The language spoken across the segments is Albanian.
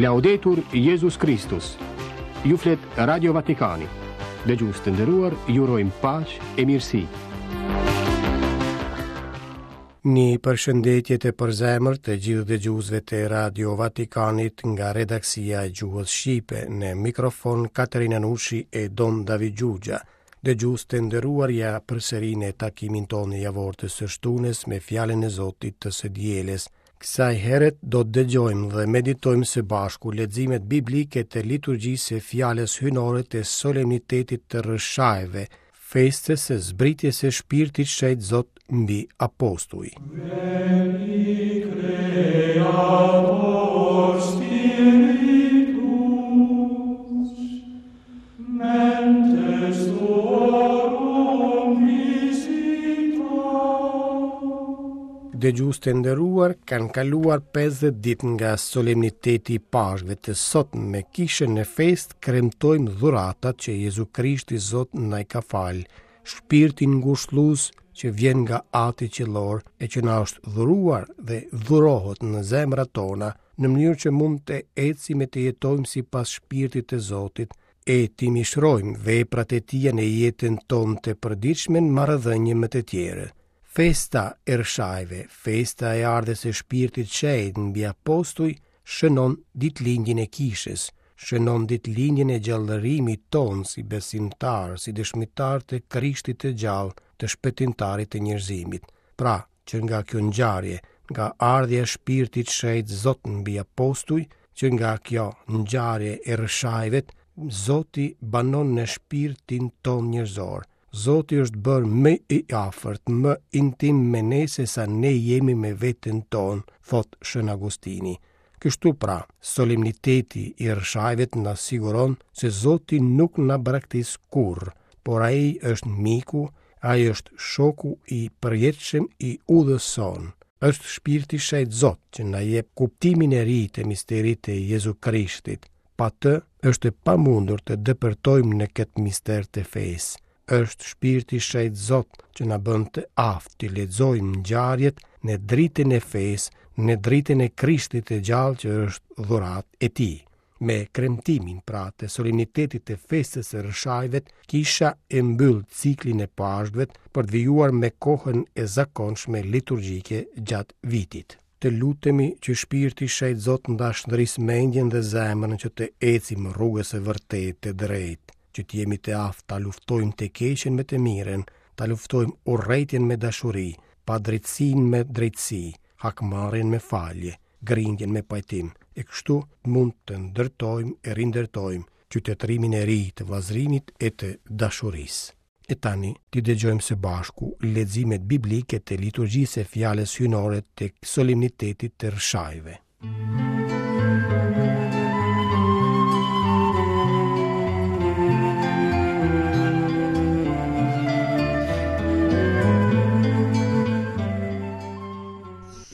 Laudetur Jezus Kristus. Ju flet Radio Vatikani. Dëgjues të nderuar, ju urojmë paqe e mirësi. Një përshëndetje të përzemërt të gjithë dëgjuesve të Radio Vatikanit nga redaksia e gjuhës shqipe në mikrofon Katerina Nushi e Dom David Xhuxha. Dëgjues të nderuar ja përsëri në takimin tonë javor të së shtunës me fjalën e Zotit të së dielës. Kësaj here do të dëgjojmë dhe meditojmë së bashku leximet biblike të liturgjisë së fjalës hyjnore të solemnitetit të Rrëshajve, festës së zbritjes së Shpirtit Shenjt Zot mbi apostuj. Veni Creator Spiritus, mentes tuorum visita. Dëgjues të nderuar, kanë kaluar 50 ditë nga solemniteti i Pashkëve të sot me kishën në festë kremtojmë dhuratat që Jezu Krishti Zot na i ka falë, shpirtin ngushëllues që vjen nga Ati Qiellor e që na është dhuruar dhe dhurohet në zemrat tona, në mënyrë që mund të ecim e të jetojmë sipas shpirtit të Zotit, e t'i mishrojmë veprat e tija në jetën tonë të përditshme në marrëdhënie me të tjerë. Festa e Rrëshajve, festa e ardhjes së Shpirtit Shenjt mbi apostuj, shënon ditëlindjen e Kishës, shënon ditëlindjen e gjallërimit tonë si besimtarë, si dëshmitarë të Krishtit të gjallë, të shpëtimtarit të njerëzimit. Pra, që nga kjo ngjarje, nga ardhja e Shpirtit Shenjt Zot mbi apostuj, që nga kjo ngjarje e Rrëshajvet, Zoti banon në shpirtin tonë njerëzor. Zoti është bërë më i afërt, më intim me ne sesa ne jemi me veten tonë, thotë Shën Agustini. Kështu pra, solemniteti i Rrëshajvet na siguron se Zoti nuk na braktis kurrë, por ai është miku, ai është shoku i përjetshëm i udhës sonë. Është Shpirti Shenjt Zot që na jep kuptimin e ri të misterit të Jezu Krishtit. Pa të është e pamundur të depërtojmë në këtë mister të fesë. Është Shpirti Shenjt Zot që na bën të aftë t'i lexojmë ngjarjet në dritën e fesë, në dritën e Krishtit të gjallë që është dhuratë e tij. Me kremtimin pra të solemnitetit të festës së Rrëshajvet, kisha e mbyll ciklin e Pashkëve për të vijuar me kohën e zakonshme liturgjike gjatë vitit. Të lutemi që Shpirti Shenjt Zot të na shndrisë mendjen dhe zemrën që të ecim rrugës së vërtetë të drejtë, që të jemi të aftë ta luftojmë të keqen me të mirën, ta luftojmë urrejtjen me dashuri, padrejtësinë me drejtësi, hakmarrjen me falje, grindjen me pajtim, e kështu mund të ndërtojmë e rindërtojmë qytetërimin e ri të vëllazërimit e të dashurisë. E tani, t'i dëgjojmë së bashku leximet biblike të liturgjisë së fjalës hyjnore të solemnitetit të Rrëshajve.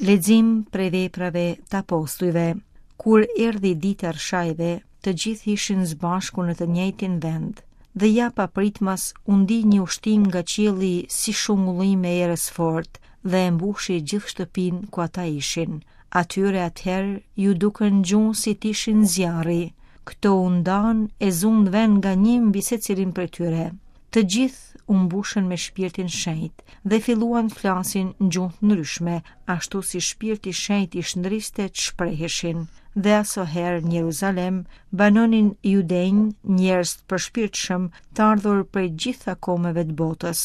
Lexim prej veprave të apostujve. Kur erdhi dita e Rrëshajve, të gjithë ishin së bashku në të njëjtin vend. Dhe ja papritmas u ndi një ushtimë nga qielli si shungullimë e erës së fortë dhe e mbushi gjithë shtëpinë ku ata ishin. Atyre atëherë iu dukën gjuhë si të ishin zjarri. Këto u ndanë e zunë vend nga një mbi secilin prej tyre. Të gjithë u mbushën me shpirtin shenjt dhe filluan të flasin në gjuhë të ndryshme, ashtu si shpirti shenjt i shndriste të shpreheshin. Dhe asoherë në Jeruzalem banonin judenj, njerëz të përshpirtshëm, të ardhur prej gjitha kombeve të botës.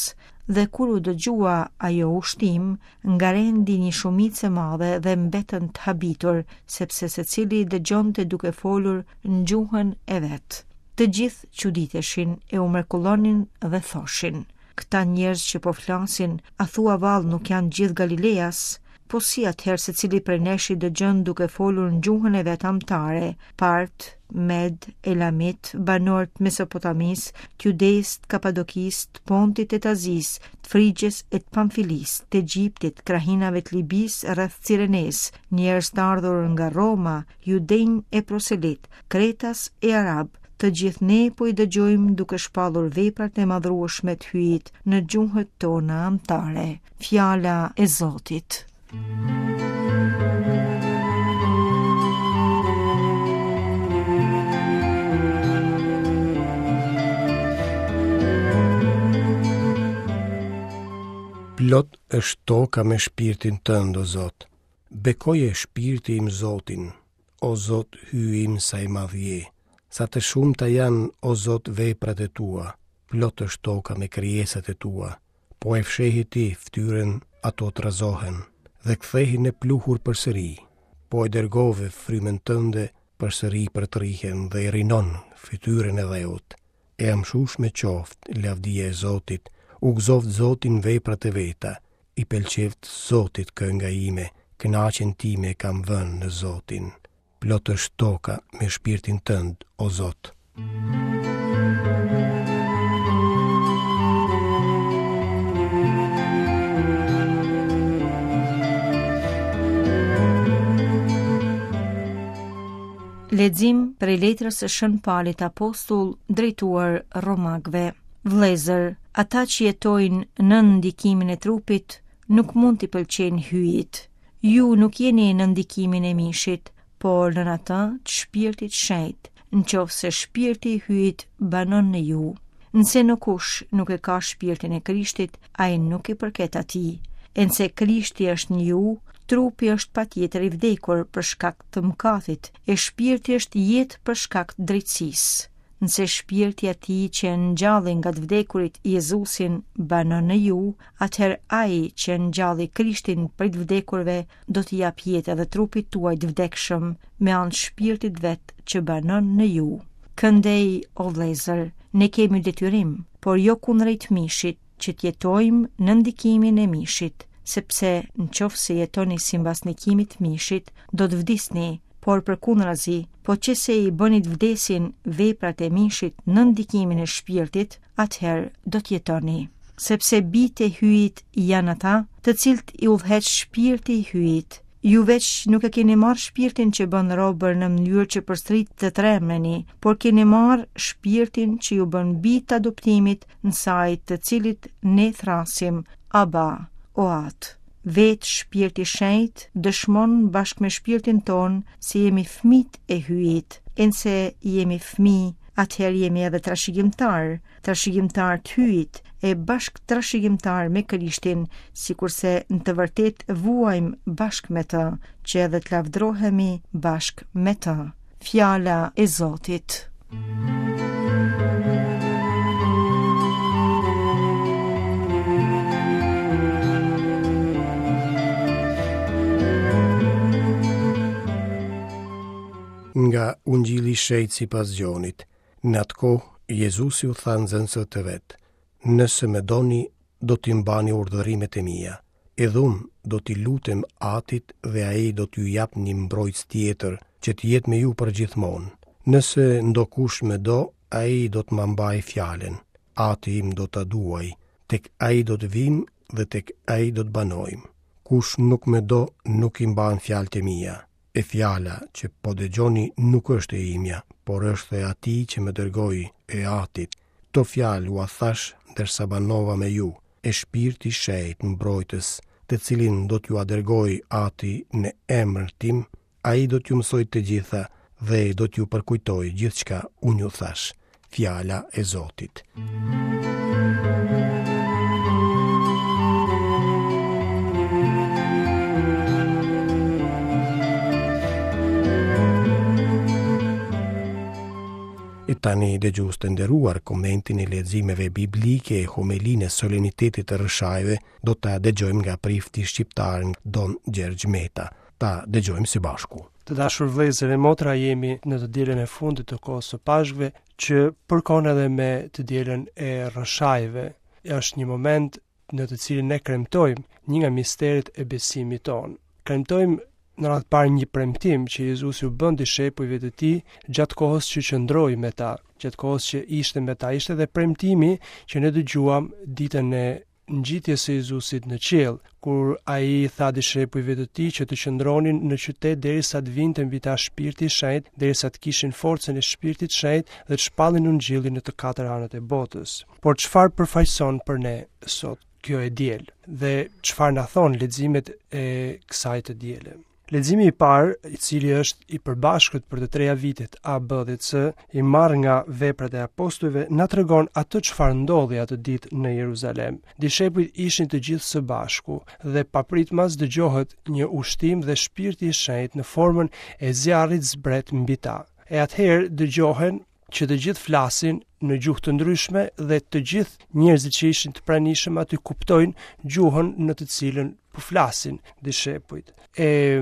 Dhe kur u dëgjua ajo ushtimë, ngarendi një shumicë e madhe dhe mbetën të habitur, sepse secili dëgjonte duke folur në gjuhën e vet. Të gjithë çuditeshin e u mrekullonin dhe thoshin: Këta njerëz që po flasin, a thua vallë nuk janë gjithë Galileas? Po si atëherë secili prej nesh i dëgjon duke folur në gjuhën e vet amtare, Part, Med, Elamit, banorë të Mesopotamisë, të Judesë, të Kapadokisë, të Pontit e të Azisë, të Frigjes e të Pamfilisë, të Egjiptit, krahinave të Libisë rreth Cirenesë, njerëz të ardhur nga Roma, judenj e proselitë, kretas e arabë, të gjithë ne po i dëgjojmë duke shpallur veprat e madhërueshme të Hyjit në gjuhët tona amtare. Fjala e Zotit. është toka me shpirtin tënd, o Zot. Bekoje shpirti im Zotin, o Zot Hyji im sa i madh je. Sa të shumta janë, o Zot, veprat e tua, plot është toka me krijesat e tua. Po e fshehe ti fytyrën, ato trazohen dhe kthehen në pluhur përsëri. Po e dërgove frymën tënde, përsëri përtërihen dhe e rinon fytyrën e dheut. E amshueshme qoftë lavdia e Zotit, u gëzoftë Zoti në veprat e veta, i pëlqeftë Zotit kënga ime, kënaqjen time e kam vënë në Zotin. Plot është toka me shpirtin tënd, o Zot. Lexim prej letrës së Shën Palit Apostull drejtuar Romakëve. Vëllezër, ata që jetojnë nën ndikimin e trupit nuk mund t'i pëlqejnë Hyjit. Ju nuk jeni nën ndikimin e mishit, por nën atë të shpirtit shenjt, në qoftë se shpirti i Hyjit banon në ju. Nëse ndokush nuk e ka shpirtin e Krishtit, ai nuk i përket atij. E nëse Krishti është në ju, trupi është patjetër i vdekur për shkak të mëkatit, e shpirti është jetë për shkak të drejtësisë. Nëse shpirti i atij që e ngjalli nga të vdekurit Jezusin banon në ju, atëherë ai që e ngjalli Krishtin prej të vdekurve do t'i japë jetë edhe trupit tuaj të vdekshëm me anë të shpirtit vet që banon në ju. Këndej, o vëllezër, ne kemi detyrim, por jo kundrejt mishit, që të jetojmë nën ndikimin e mishit, sepse në qoftë se jetoni simbas ndikimit të mishit, do të vdisni, por përkundrazi, po qe se i bëni të vdesin veprat e mishit nën ndikimin e shpirtit, atëherë do të jetoni. Sepse bijtë e Hyjit janë ata, të cilët i udhëheq shpirti i Hyjit. Ju veç nuk e keni marrë shpirtin që bën robër në mënyrë që përsëri të trembeni, por keni marrë shpirtin që ju bën bij të adoptimit në sajë të cilit ne thërrasim Aba, o Atë. Vetë shpirti i shenjtë dëshmon bashkë me shpirtin tonë se jemi fëmijët e Hyjit, e nëse jemi fëmijë, atëherë jemi edhe trashëgimtarë, trashëgimtarë të Hyjit e bashkëtrashëgimtarë me Krishtin, sikurse në të vërtetë vuajmë bashkë me të, që edhe të lavdrohemi bashkë me të. Fjala e Zotit. Nga Ungjilli i Shenjtë sipas Gjonit. Në atë kohë, Jezusi u tha nxënësve të vet, Nëse më doni, do t'i mbani urdhërimet e mia. Edhe unë do t'i lutem Atit dhe ai do t'ju japë një mbrojtës tjetër, që të jetë me ju përgjithmonë. Nëse ndokush më do, ai do të ma mbajë fjalën. Ati im do ta duajë, tek ai do të vijmë dhe tek ai do të banojmë. Kush nuk më do, nuk i mban fjalët e mia. E fjala që po dëgjoni nuk është e imja, por është e atij që më dërgoi, e Atit. Këto fjalë ua thashë ndërsa banova me ju, e Shpirti i Shenjtë mbrojtës, të cilin do t'jua dërgojë Ati në emër tim, ai do t'ju mësojë të gjitha dhe do t'ju përkujtojë gjithçka unë ju thashë. Fjala e Zotit. E tani dëgjues të nderuar komentin e leximeve biblike e homelinë e solemnitetit të Rrëshajve do ta dëgjojmë nga prifti shqiptar Don Gjergj Meta. Ta dëgjojmë së bashku. Të dashur vëllezër e motra, jemi në të dielën e fundit të kohës së Pashkëve, që përkon edhe me të dielën e Rrëshajve. Është një moment në të cilin ne kremtojmë një nga misteret e besimit tonë. Kremtojmë në radhë të parë një premtim që Jezusi u bën dishepujve të tij gjatë kohës që qëndroi me ta, gjatë kohës që ishte me ta. Ishte edhe premtimi që ne dëgjuam ditën e ngjitjes së Jezusit në qiell, kur ai i tha dishepujve të tij që të qëndronin në qytet derisa të vinte mbi ta Shpirti i Shenjtë, derisa të kishin forcën e Shpirtit të Shenjtë dhe të shpallnin Ungjillin në të katër anët e botës. Por çfarë përfaqëson për ne sot kjo e diel dhe çfarë na thonë leximet e kësaj të diele? Leximi i parë, i cili është i përbashkët për të treja vitet A, B dhe C, i marrë nga veprat e apostujve, na tregon atë çfarë ndodhi atë ditë në Jeruzalem. Dishepujt ishin të gjithë së bashku dhe papritmas dëgjohet një ushtim dhe shpirti i shenjtë në formën e zjarrit zbret mbi ta. E atëherë dëgjohen që të gjithë flasin në gjuhë të ndryshme dhe të gjithë njerëzit që ishin të pranishëm aty kuptojnë gjuhën në të cilën po flasin dishepujt. E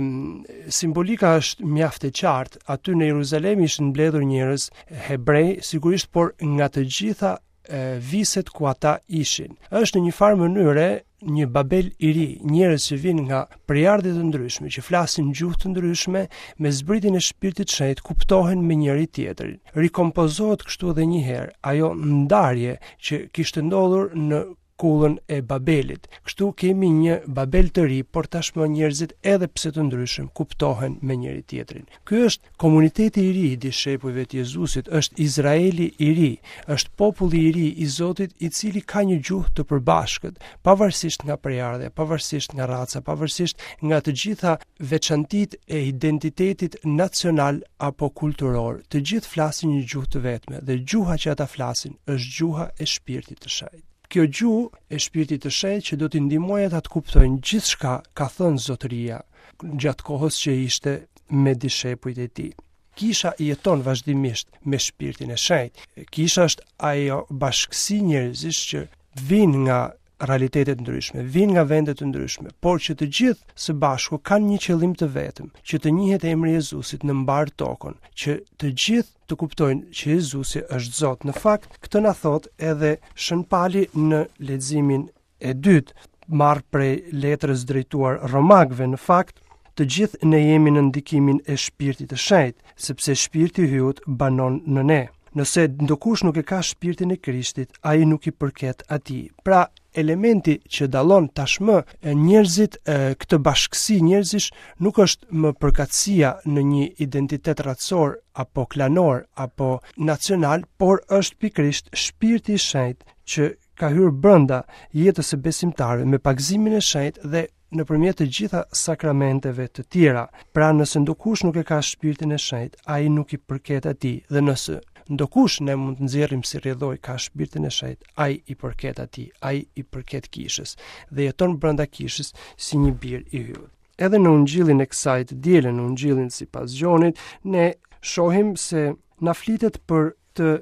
simbolika është mjaft e qartë. Aty në Jeruzalem ishin mbledhur njerëz hebrej, sigurisht, por nga të gjitha e, viset ku ata ishin. Është në një farë mënyre një Babel i ri, njerëz që vijnë nga prejardhje të ndryshme, që flasin gjuhë të ndryshme, me zbritjen e Shpirtit të Shenjtë kuptohen me njëri tjetrin. Rikompozohet kështu edhe një herë ajo ndarje që kishte ndodhur në kullën e Babelit. Kështu kemi një Babel të ri, por tashmë njerëzit edhe pse të ndryshëm kuptohen me njëri tjetrin. Ky është komuniteti i ri i dishepujve të Jezusit, është Izraeli i ri, është populli i ri i Zotit i cili ka një gjuhë të përbashkët, pavarësisht nga prejardhja, pavarësisht nga raca, pavarësisht nga të gjitha veçantitë e identitetit nacional apo kulturor. Të gjithë flasin një gjuhë të vetme dhe gjuha që ata flasin është gjuha e shpirtit të shenjtë. Kjo gjuhë e shpirtit të shenjtë që do t'i ndihmojë ata të kuptojnë gjithçka ka thënë Zotëria gjatë kohës që ishte me dishepujt e tij. Kisha jeton vazhdimisht me shpirtin e shenjtë. Kisha është ajo bashkësi njerëzish që vijnë nga realitete të ndryshme, vijnë nga vende të ndryshme, por që të gjithë së bashku kanë një qëllim të vetëm, që të njihet emri i Jezusit në mbarë tokën, që të gjithë të kuptojnë që Jezusi është Zot. Në fakt, këtë na thotë edhe Shën Pali në leximin e dytë, marrë prej letrës drejtuar Romakëve, në fakt, të gjithë ne jemi në ndikimin e shpirtit të shenjtë, sepse shpirti i Hyjut banon në ne. Nëse ndokush nuk e ka shpirtin e Krishtit, ai nuk i përket atij. Pra, elementi që dallon tashmë njerëzit këtë bashkësi njerëzish nuk është më përkatësia në një identitet racor apo klanor apo nacional, por është pikërisht shpirti i shenjtë që ka hyrë brenda jetës së besimtarëve me pagëzimin e shenjtë dhe nëpërmjet të gjitha sakramenteve të tjera. Pra nëse ndokush nuk e ka shpirtin e shenjtë, ai nuk i përket atij dhe nëse ndokush ne mund të nxjerrim si rrjedhojë ka shpirtin e shenjtë, ai i përket atij, ai i përket kishës dhe jeton brenda kishës si një bir i Hyjut. Edhe në ungjillin e kësaj të diele, në ungjillin sipas Gjonit, ne shohim se na flitet për të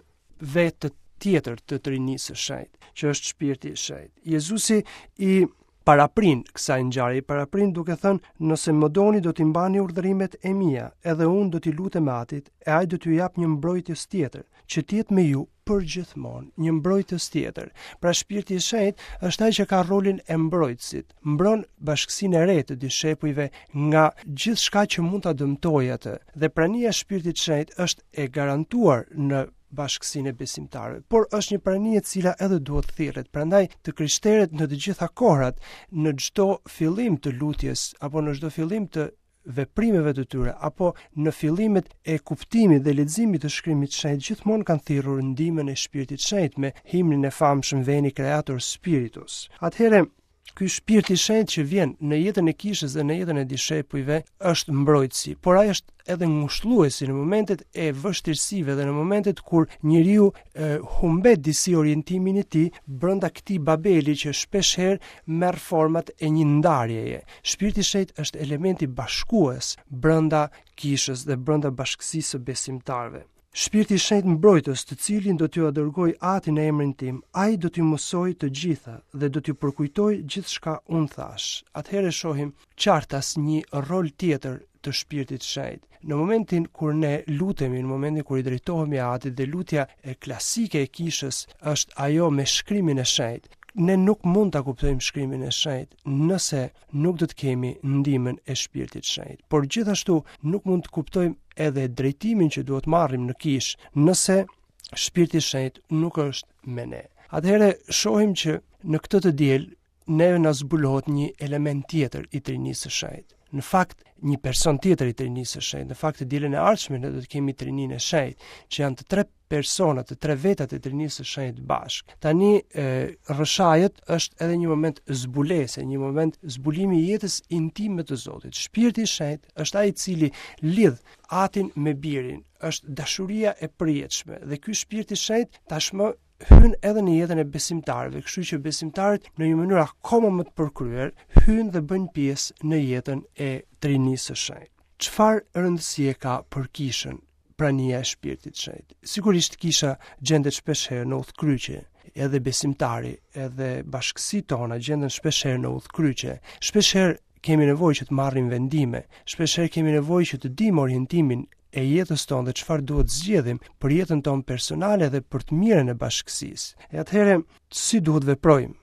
vetë tjetër të Trinisë së Shenjtë, që është Shpirti i Shenjtë. Jezusi i paraprin kësaj ngjarje, i paraprin duke thënë, nëse më doni do t'i mbani urdhërimet e mia, edhe unë do t'i lutem Atit, e ai do t'ju japë një mbrojtës tjetër, që të jetë me ju përgjithmonë, një mbrojtës tjetër. Pra Shpirti i Shenjtë është ai që ka rolin e mbrojtësit, mbron bashkësinë e re të dishepujve nga gjithçka që mund ta dëmtojë atë. Dhe prania e Shpirtit të Shenjtë është e garantuar në bashkësinë e besimtarëve, por është një prani e cila edhe duhet thirret. Prandaj të krishterët në të gjitha kohrat, në çdo fillim të lutjes apo në çdo fillim të veprimeve të tyre apo në fillimet e kuptimit dhe leximit të shkrimit të shenjtë gjithmonë kanë thirrur ndihmën e shpirtit të shenjtë me himnin e famshëm Veni Creator Spiritus. Atëherë ky shpirt i shenjtë që vjen në jetën e kishës dhe në jetën e dishepujve është mbrojtësi, por ai është edhe ngushëlluesi në momentet e vështirësive dhe në momentet kur njeriu e, humbet disi orientimin e tij brenda këtij babeli që shpeshherë merr format e një ndarjeje. Shpirti i Shenjtë është elementi bashkues brenda kishës dhe brenda bashkësisë së besimtarëve. Shpirti i Shenjtë mbrojtës, të cilin do t'jua dërgojë Ati në emrin tim, ai do t'ju mësojë të gjitha dhe do t'ju përkujtojë gjithçka unë thashë. Atëherë shohim qartas një rol tjetër të Shpirtit të Shenjtë. Në momentin kur ne lutemi, në momentin kur i drejtohemi Atit dhe lutja e klasike e kishës është ajo me shkrimin e shenjtë. Ne nuk mund ta kuptojmë shkrimin e shenjtë nëse nuk do të kemi ndihmën e Shpirtit të Shenjtë. Por gjithashtu nuk mund të kuptojmë edhe drejtimin që duhet marrim në kishë nëse Shpirti i Shenjtë nuk është me ne. Atëherë shohim që në këtë të diel neve na zbulohet një element tjetër i Trinisë së Shenjtë. në fakt një person tjetër i Trinisë së Shenjtë. Në fakt të dielën e ardhshme ne do të kemi Trininë e Shenjtë, që janë të tre persona, të tre vetat e Trinisë së Shenjtë bashkë. Tani e, rrëshajët është edhe një moment zbulese, një moment zbulimi i jetës intime të Zotit. Shpirti i Shenjtë është ai i cili lidh Atin me Birin, është dashuria e përjetshme dhe ky Shpirt i Shenjtë tashmë hyn edhe në jetën e besimtarëve, kështu që besimtarët në një mënyrë akoma më të përkryer hyjnë dhe bëjnë pjesë në jetën e Trinisë së Shenjtë. Çfarë rëndësie ka për kishën prania e Shpirtit të Shenjtë? Sigurisht kisha gjendet shpeshherë në udhëkryqe, edhe besimtari, edhe bashkësitë tona gjenden shpeshherë në udhëkryqe. Shpeshherë kemi nevojë që të marrim vendime, shpeshherë kemi nevojë që të dimë orientimin e jetës tonë dhe çfarë duhet zgjedhim për jetën tonë personale dhe për të mirën e bashkësisë. E atëherë, si duhet veprojmë?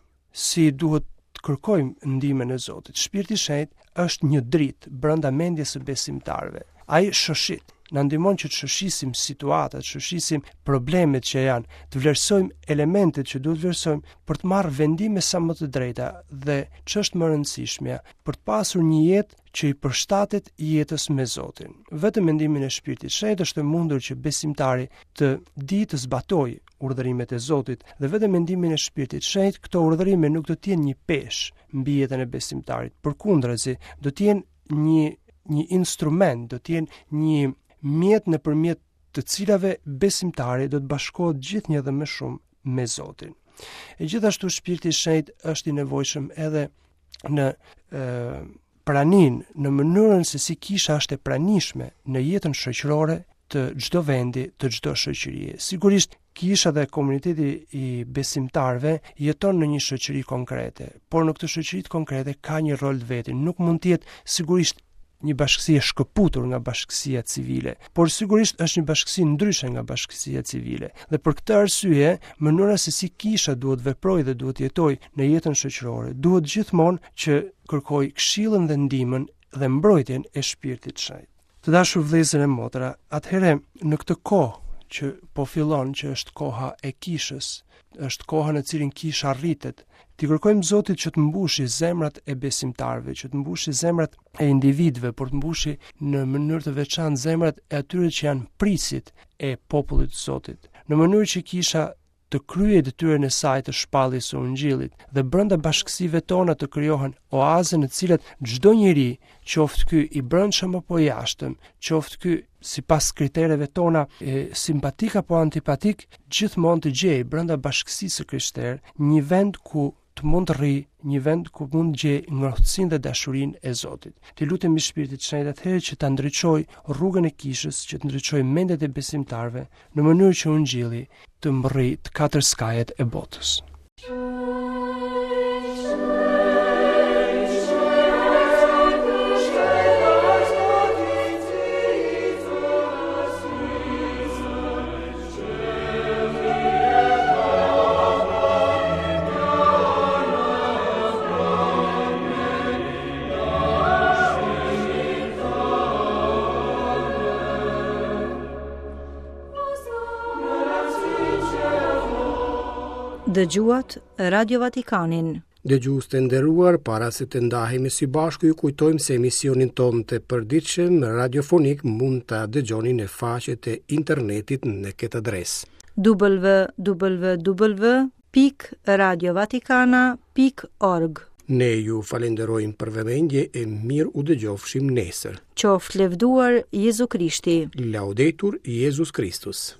Si duhet të kërkojmë ndihmën e Zotit? Shpirti i Shenjtë është një dritë brenda mendjes së besimtarëve. Ai shoshit, na ndihmon që të shoshisim situatat, të shoshisim problemet që janë, të vlerësojmë elementet që duhet vlerësojmë për të marrë vendime sa më të drejta dhe ç'është më e rëndësishmja, për të pasur një jetë që i përshtatet jetës me Zotin. Vetëm me ndihmën e Shpirtit të Shenjtë është e mundur që besimtari të dijë të zbatojë urdhërimet e Zotit dhe vetëm me ndihmën e Shpirtit të Shenjtë këto urdhërime nuk do të jenë një peshë mbi jetën e besimtarit. Përkundrazi, do të jenë një një instrument, do të jenë një mjet nëpërmjet të cilave besimtari do të bashkohet gjithnjë dhe më shumë me Zotin. E gjithashtu Shpirti i Shenjtë është i nevojshëm edhe në e, praninë, në mënyrën se si kisha është e pranishme në jetën shoqërore të çdo vendi, të çdo shoqërie. Sigurisht, kisha dhe komuniteti i besimtarëve jeton në një shoqëri konkrete, por në këtë shoqëri konkrete ka një rol të vetin. Nuk mund të jetë sigurisht një bashkësi e shkëputur nga bashkësia civile, por sigurisht është një bashkësi ndryshe nga bashkësia civile. Dhe për këtë arsye, mënyra se si kisha duhet veprojë dhe duhet jetojë në jetën shoqërore, duhet gjithmonë që kërkojë këshillën dhe ndihmën dhe mbrojtjen e shpirtit të shenjtë. Të dashur vëllezër e motra, atëherë në këtë kohë që po fillon, që është koha e kishës, është koha në cilin kisha rritet, t'i kërkojmë Zotit që të mbushi zemrat e besimtarëve, që të mbushi zemrat e individëve, por të mbushi në mënyrë të veçantë zemrat e atyre që janë prijësit e popullit të Zotit, në mënyrë që kisha të kryejë detyrën e saj të shpalljes së Ungjillit dhe brenda bashkësive tona të krijohen oaze në të cilat çdo njeri, qoftë ky i brendshëm apo i jashtëm, qoftë ky sipas kritereve tona e, simpatik apo antipatik, gjithmonë të gjejë brenda bashkësisë së krishterë një vend ku të mund të rrijë një vend ku mund të gjejë ngrohtësinë dhe dashurinë e Zotit. T'i lutemi Shpirtit të Shenjtë atëherë që ta ndriçojë rrugën e kishës, që të ndriçojë mendjet e besimtarëve, në mënyrë që ungjilli të mbërrijë të katër skajet e botës. Dëgjuat Radio Vatikanin. Dëgjues të nderuar, para se të ndahemi së bashku, ju kujtojmë se emisionin tonë të përditshëm radiofonik mund ta dëgjoni në faqet e internetit në këtë adresë. www.radiovatikana.org Ne ju falenderojmë për vëmendje e mirë u dëgjofshim nesër. Qoftë lëvduar Jezu Krishti. Laudetur Jezus Kristus.